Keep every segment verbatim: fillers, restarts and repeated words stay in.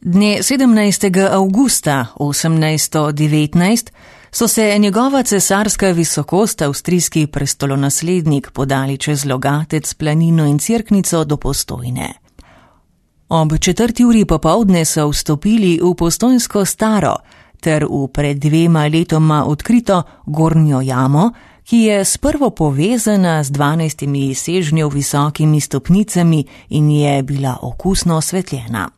Dne sedemnajstega avgusta osemnajststo devetnajst so se njegova cesarska visokost, avstrijski prestolonaslednik, podali čez Logatec, Planino in Cerknico do Postojne. Ob četrti uri popoldne so vstopili v Postojnsko staro ter v pred dvema letoma odkrito Gornjo jamo, ki je sprvo povezana z dvanajstimi sežnjev visokimi stopnicami in je bila okusno osvetljena.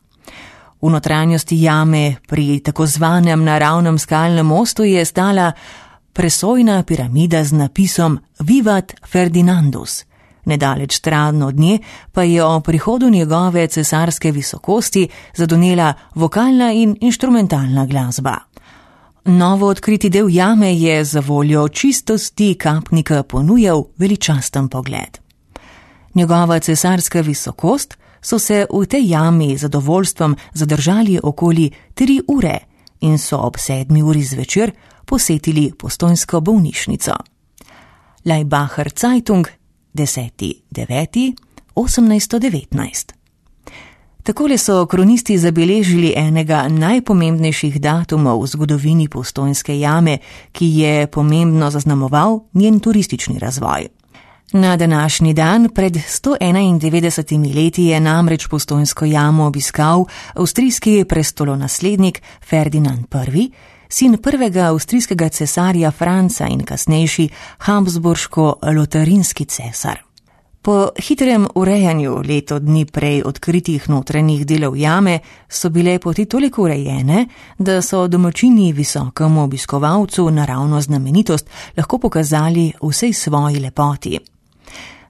V notranjosti jame pri tako zvanem naravnem skalnem mostu je stala presojna piramida z napisom Vivat Ferdinandus. Nedaleč stran od nje pa je o prihodu njegove cesarske visokosti zadonela vokalna in inštrumentalna glasba. Novo odkriti del jame je za voljo čistosti kapnika ponujal veličasten pogled. Njegova cesarska visokost so se v tej jami z zadovoljstvom zadržali okoli tri ure in so ob sedmi uri zvečer posetili postojnsko bolnišnico. Laibacher Zeitung, deseti deveti osemnajststo devetnajst. Takole so kronisti zabeležili enega najpomembnejših datumov v zgodovini Postojnske jame, ki je pomembno zaznamoval njen turistični razvoj. Na današnji dan pred sto enaindevetdesetimi leti je namreč Postojnsko jamo obiskal avstrijski prestolonaslednik Ferdinand Prvi, sin prvega avstrijskega cesarja Franca in kasnejši habsburško-lotarinski cesar. Po hitrem urejanju leto dni prej odkritih notranjih delov jame so bile poti toliko urejene, da so domačini visokemu obiskovalcu naravno znamenitost lahko pokazali vsej svoji lepoti.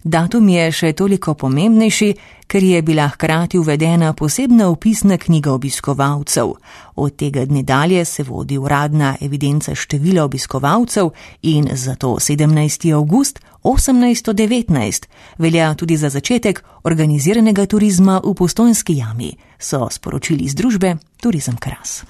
Datum je še toliko pomembnejši, ker je bila hkrati uvedena posebna vpisna knjiga obiskovalcev. Od tega dne dalje se vodi uradna evidenca števila obiskovalcev in zato sedemnajsti avgust osemnajststo devetnajst velja tudi za začetek organiziranega turizma v Postojnski jami, so sporočili iz družbe Turizem Kras.